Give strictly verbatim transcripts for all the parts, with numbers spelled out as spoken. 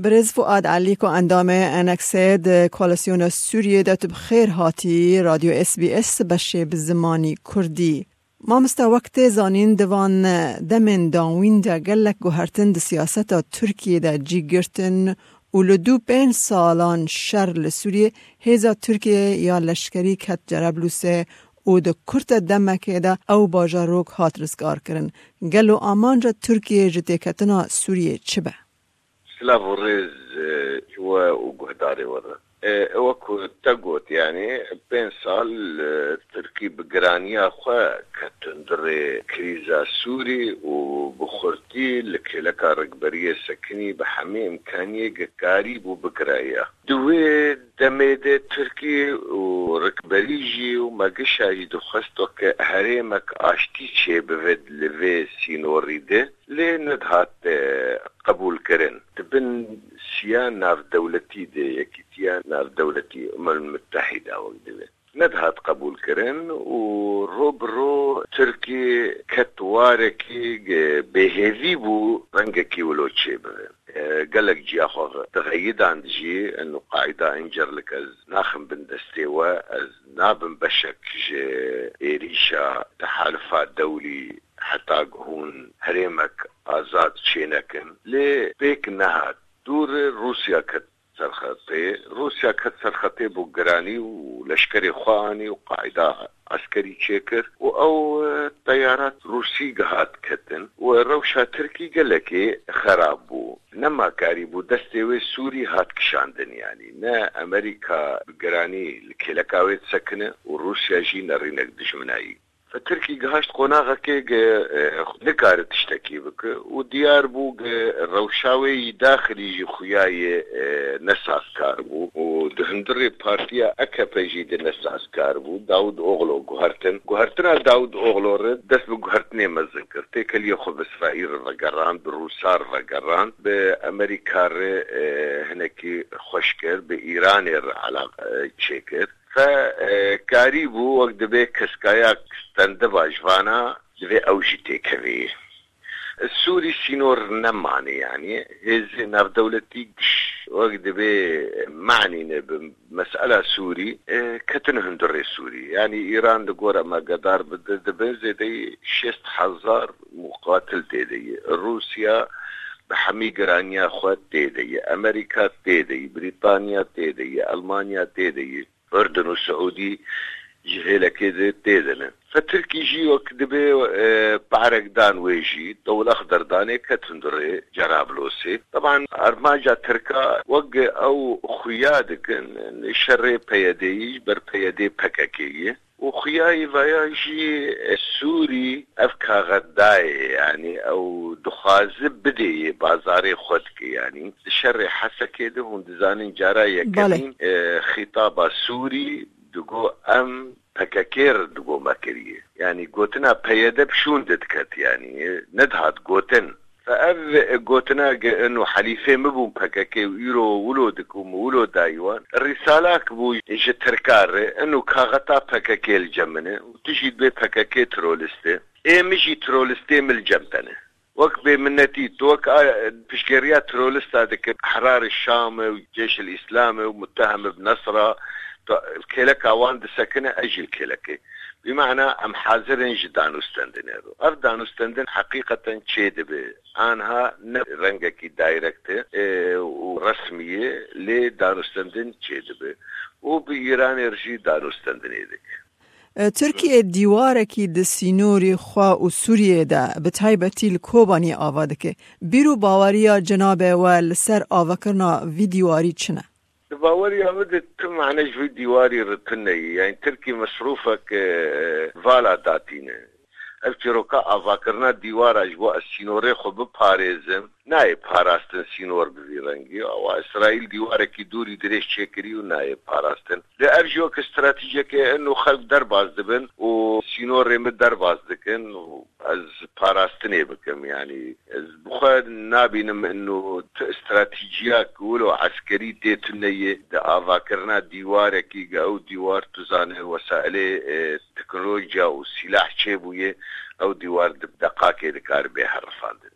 Birêz Fuad Elî ku endamê Enexê di Koalîsyona Sûriyê de, tu bi xêr hatî Radyo S B S beşê bi zimanî Kurdî. Mamosta, wek tê zanîn, di van demên dawîn de gelek guhertin di siyaseta Tirkiyê de cî girtin û li dû pênc salan şer li Sûriyê hêza Tirkiyê ya leşkerî ket Cerablûsê û di kurte demekê de ew bajarok hat rizgarkirin. Gelo amanca Tirkiyê ji têketina Sûriyê çi be? Silav û rêz, e, ji we û guhdarê we re. E, ew ku te got, yanî pênc sal, e, Tirkî bi giraniya xwe ket hundirê krîza Sûrî û bi xurtî li kêleka rikberiyê sekinî, bi hemî imkaniyê ge karîbû bigiraye. Di wê demê de Tirkî û rikberî jî û megişa jî dixwest weke herêmek aştî çêbibe li vê sînorî de. Lê nedihat, e, qebûlkirin. Di bin siya navdewletî de, Yekîtiya Navdewletî, Umem Mutehîda wek divê, nedihat qebûlkirin û ro bi ro Tirkî ket warekî, e, bêhêvî bû rengekî wilo çêbibe. E, gelek ciya xwe dixeyidand jî, eno qaîda încerlik ez naxim bin destê we, ez nabim beşek ji êrîşa tehalifa dewlî heta ku hûn herêmek azad çênekin. Lê pêk nehat. Dûr Rûsya ket serxetê. Rûsya ket serxetê bo giranî û leşkerê xwe anî û qaîda eskerî çêkir û ew, e, teyarat Rûsî gihat ketin û rewşa Tirkî gelekê xerab bû. Nema karî bû destê wê Sûrî hat kişandin, yanî ne Amerîka bi giranî li kêleka wê disekine û Rûsya jî nerînek dijminayî. Tirkî gihaşt qonaxekê ge, e, nikare tiştekî bike û diyar bû ge rewşa wê yî daxilî jî xuya yê, e, nesazkar bû û di hundirê partiya A K P jî de nesazkar bû. Dawud Oglo guhertin. Guhertina Dawud Oglo re dest bi guhertinê mezin kir. Têkeliyê xwe bi Îsraîl re vegerand, bi Rûsa re vegerand, bi Amerîka re, e, hinekî xweş kir, bi Îranê re elaq-, e, çêkir. Fe, e, karî bû, wek dibê keskayak stendiva ji vana, divê ew jî têkevê. Sûrî sînor nemanê, yanî hêzê navdewletî giş, wek dibê manîne bi mesela Sûrî, e, ketin hundirê Sûrî. Yanî Îran di gora me gedar bi di-, dibin zêdeyî şêst hezar muqatil tê de ye. Rûsya bi hemî giraniya xwe tê de ye. Amerîka tê de ye. Brîtanya tê de ye. Elmanya tê de ye. Urdun û Siûdî ji hêlekê de tê de ne. Fe Tirkî jî wek dibê, e, parek dan wê jî, dewil exder danê ket hundirê Cerablosê. Teban armanca Tirka wek ew xuya dikin, şerê P Y D'yî ji ber P Y D P K K ye. Û xuya yî vaya jî, e, Sûrî ev kaxet dayê, yanî ew dixwaze bidê yê bazarê xwe dike, yanî di şerê Hesekê de hûn dizanin cara Belê. yekemîn, e, xîtaba Sûrî digo em P K K re digo me kiriye. Yanî gotina P Y D bi şûn de diket, yanî, e, nedihat gotin. Fe ev gotina ge ino helîfê min bûn P K K û îro wilo dikim û wilo dayî wan. Rîsalak bû ji Tirka re, ino kaxeta P K K li cem min e û tu jî dibê P K K terorîst e. Ê min jî terorîstê min li cem te ne. Wek bêminnetî, tu wek a, piştgiriya terorîsta dike, Ehrarê Şam e û Ceyşil Îslam e û muttehim e bi Nesra, tu kêleka wan disekine, ez jî li kêlekê. Bi mana em hazir in ji danûstendinê re. Ev danûstendin heqîqeten çêdibe. Anha ne rengekî direct e, e, û resmî ye, lê danûstendin çêdibe. Û bi Îranê re jî danûstendinê dike. E, Tirkiye dîwarekî di sînorî xwe û Sûriyê de, bi taybetî li Kobaniyê ava dike. Bîr û baweriya cenabê we li ser avakirina vî dîwarî çi ne? Di baweriya min de tu mane ji vî dîwarî re tune ye. Yanî Tirkî mesrûfek, e, vala datîne. Ev çîroka avakirina dîwara ji bo ez sînorê xwe biparêzim, nayê parastin sînor bi vî rengî. Awa Îsraîl dîwarekî dûrî dirêj çêkirî û nayê parastin. Lê ev jî wek stratejiyeke ino xelk derbas dibin û sînorê min derbas dikin û ez parastinê bikim. Yanî ez bi xwe nabînim ino tu stratejiyak wilo eskerî tê tune ye di avakirina dîwarekî, ge ew dîwar tu zane wesailê, e, teknolojiya û sîlah çêbûye, ew dîwar di deqakê dikare bê herifandin.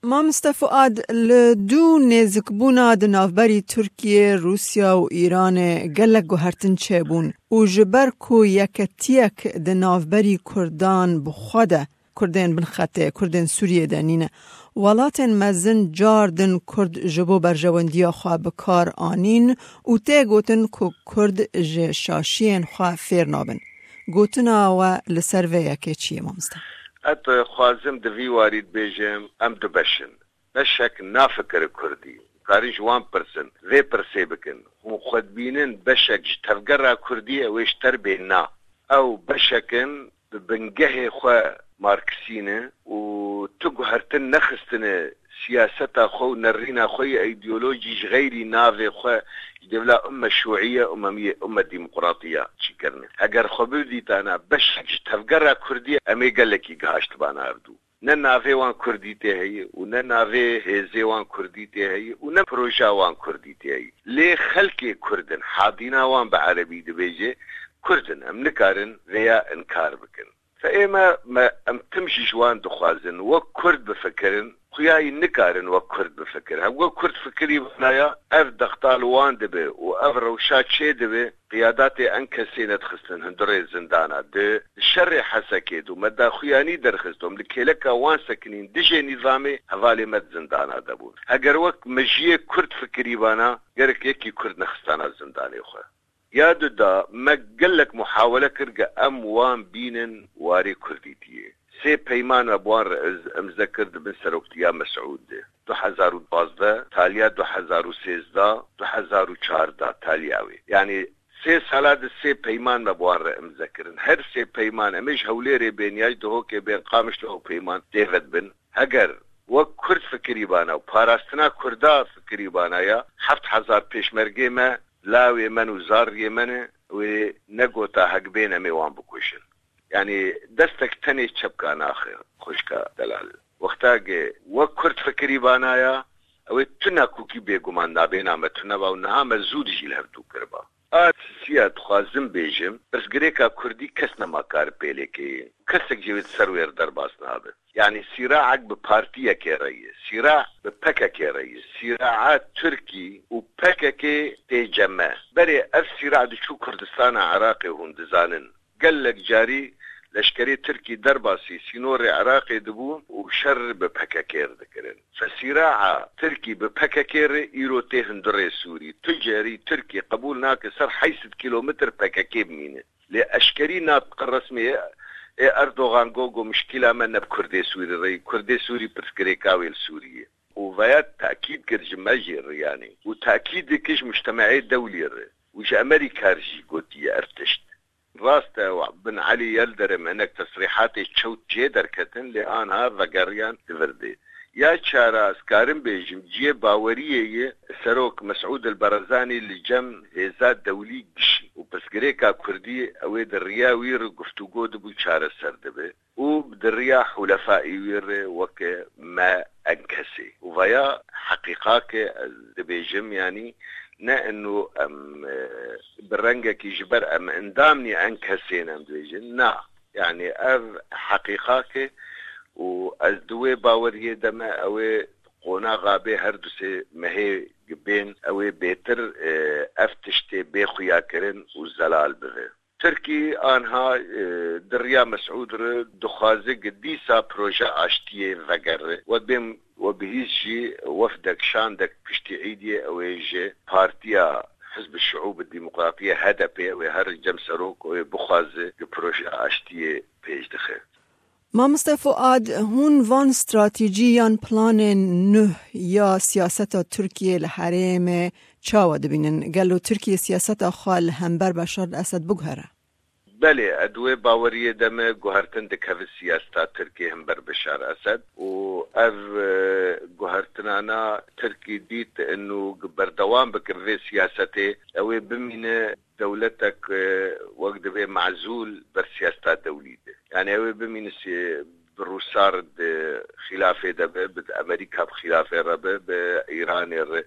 Mamoste Fuad, li dû nêzikbûna di navberî Tirkiye, Rûsya û Îranê gelek guhertin çêbûn û ji ber ku yeketiyek di navberî Kurdan bi xwe de, Kurdên bin xetê, Kurdên Sûriyê de nîne, welatên mezin car din Kurd ji bo berjewendiya xwe bi kar anîn û tê gotin ku Kurd ji şaşiyên xwe fêr nabin. Gotina we li ser vê yekê çi ye, mamoste? Ez dixwazim di vî warî dibêjim, em du beş in. Beşek nafikire Kurdî. Karin ji wan pirsin, vê pirsê bikin. Hûn xwe dibînin beşek ji tevgera Kurdî ye, wê ji ter bê? Na. Ew beşek in bi bingehê xwe Marksî ne û tu guhertin nexistine siyaseta xwe û nerîna xwe yê îdeolojî ji xeyrî navê xwe ji dêvla umme şûîye, umme, umme demokratiya çîkirine. Heger xwe bidîtana beşek ji tevgera Kurdî, em ê gelekî gihaştibana hevdû. Ne navê wan Kurdî tê heye û ne navê hêzê wan Kurdî tê heye û ne proja wan Kurdî tê heye. Lê xelkê Kurd in, hadîna wan bi erebî dibêje, Kurd in. Em nikarin vêya inkar bikin. Fe ême me, em tim jî ji wan dixwazin wek Kurd bifikirin, xuyayî nikarin wek Kurd bifikirin. Hem wek Kurd fikirî vanaya, ev dexta li wan dibe û ev rewşa çê dibe, qiyadatê enkesê nedixistin hundirê zindana. Di şerê Hesekê de me daxuyanî derxist, em li kêleka wan sekinîn dijê nîzamê, hevalê me di zindana de bûn. Heger wek mejiyê Kurd fikirî vana, gerek yekî Kurd nexistana zindanê xwe. Ya du da me gelek muhawele kir ke em wan bînin warê Kurdîtiyê. Sê peyman me bi wan re iz-, imze kir di bin seroktiya Mesûd de. Du hezar û duwazdeh, taliya du hezar û sêzdeh, du hezar û çardeh taliya wê. Yanî sê sala di sê peyman me bi wan re imze kirin. Her sê peyman em ê ji Hewlêrê bên ya ji Dihokê bên Qamişlo ew peyman tê vedibin. Heger wek Kurd fikirî bana û parastina Kurda fikirî bana ya, heft hezar pêşmergê me, lawê me û zariyê me ne, wê negota hek bên em ê wan bikujin. Yanî destek tenê çepka naxe, xwişka delal. Wexta ke wek Kurd fikirî bana ya, ew ê tu nakokî bêguman nabêna me tune ba û niha me zû dijî li hevdû kiriba. A sisiya dixwazim bêjim, pirsgirêka Kurdî kes nema kar pêlê keye. Kesek jî wê di ser wê re derbas nabe. Yanî sîraek bi partiyekê re ye. Sîra bi P K K re ye. Sîraa Tirkî û P K K tê cem me. Berê ev sîra diçû Kurdistana Iraqê, hûn dizanin. Gelek carî leşkerê Tirkî derbasî sînorê Iraqê dibûn û şer bi P K K re dikirin. Fesîraa Tirkî bi P K K re îro tê hundirê Sûrî. Tu carî Tirkî qebûl nake ser heyşt sed kîlometr P K K bimîne. Lê eşkerî natiqe resmî ê Erdogan got, got, muşkîla me ne bi Kurdê Sûrî re ye. Kurdê Sûrî pirsgirêka wê li Sûriyê. Û veya tekîd kir ji me jî re yanî. Û tekîd dike ji mujtemeê dewlî re. Û ji Amerîka re jî gotiye ev tişt. Rast e, Bin Elî Yildirim hinek tesrîhatê çewt jê derketin, lê anha vegeriyan di vir de. Ya çara ez karim bêjim, cihê baweriyê ye, Serok Mesûd El-Barazanî li cem hêza dewlî gişî û pirsgirêka Kurdî ew ê di riya wî re guftûgo dibû çareser dibe û di riya hulefaî wî re weke me enkesê. Û veya heqîqake ez dibêjim, yanî ne inu em, e, bi rengekî ji ber em endamnî enkesê ne em dibêjin. Na, yanî ev heqîqake û ez di wê baweriyê de me, ew ê qonaxa bê her du sê mehê bên, ew ê bêtir, e, ev tiştê bê xuyakirin û zelal bibe. Tirkî anha, e, di riya Mesûd re dixwaze ki dîsa proje aştiyê vegere. We bên, we bihîst jî wefdek şandek piştî îdiyê ew ê ji Partiya Hizb Şiûb Demokratiye, H D P, ew ê her cem serok ew ê bixwaze ki proje aştiyê pêş dixe. Mamoste Fuad, hûn van stratejî yan planên nuh ya siyaseta Tirkiyê li herêmê çawa dibînin? Gelo Tirkiye siyaseta xwe li hember Beşar Esed biguhere? Belê, ez di wê baweriyê de me guhertin dikeve siyaseta Tirkiyê hember Beşar Esed û ev, e, guhertinana Tirkî dît inu berdewam bike vê siyasetê, ew ê bimîne dewletek, e, wek divê mezûl ber siyaseta dewlî de. Yani ew ê bimîne si-, Bi Rûsar di xîlafê de be, bi Amerîka bi xîlafê re be, bi Îranê re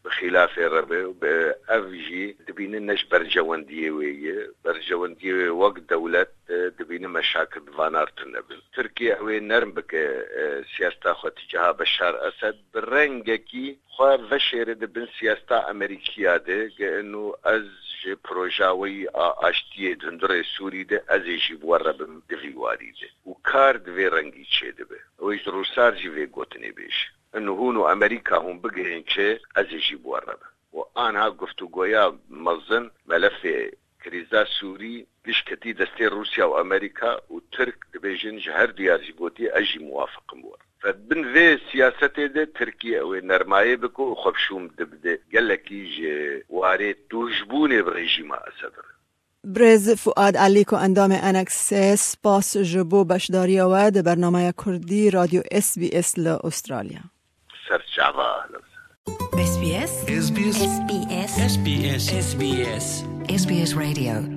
bi xîlafê re be, bi ev jî dibînin ne ji berjewendiyê wê ye. Berjewendiyê wê wek dewlet, e, dibînin meşakil bi vanar tune bin. Tirkiye ew ê nerm bike, e, siyaseta xwe tîcaha Beşar Esed, bi rengekî xwe veşêre di bin siyaseta Amerîkiya de, ge inu ez ji proja weyî a aştiyê di hundirê Sûrî de, ez ê jî bi we re bim di vî warî de. Û kar di vê rengî çêdibe. Ew ê ji Rûsar jî vê gotinê bêje. Inu hûn û Amerîka hûn bigihên çi, ez ê jî bi we re bim. Û anha guftûgoya mezin, melefê krîza Sûrî giş ketî destê Rûsya û Amerîka û Tirk dibêjin ji her duyar jî gotiye, ez jî muwafiq im wir. Fe bin vê siyasetê de Tirkiye ew ê nermayê bike û xwe bi şûm dibide gelekî ji warê tûjbûnê bi rejîma Esed re. Birêz Fuad Alîko, endamê N X S, spas ji bo beşdariya we di bernameya Kurdî Radyo S B S li Australya. Ser çava. S B S. S B S. S B S. S B S. S B S. S B S Radio.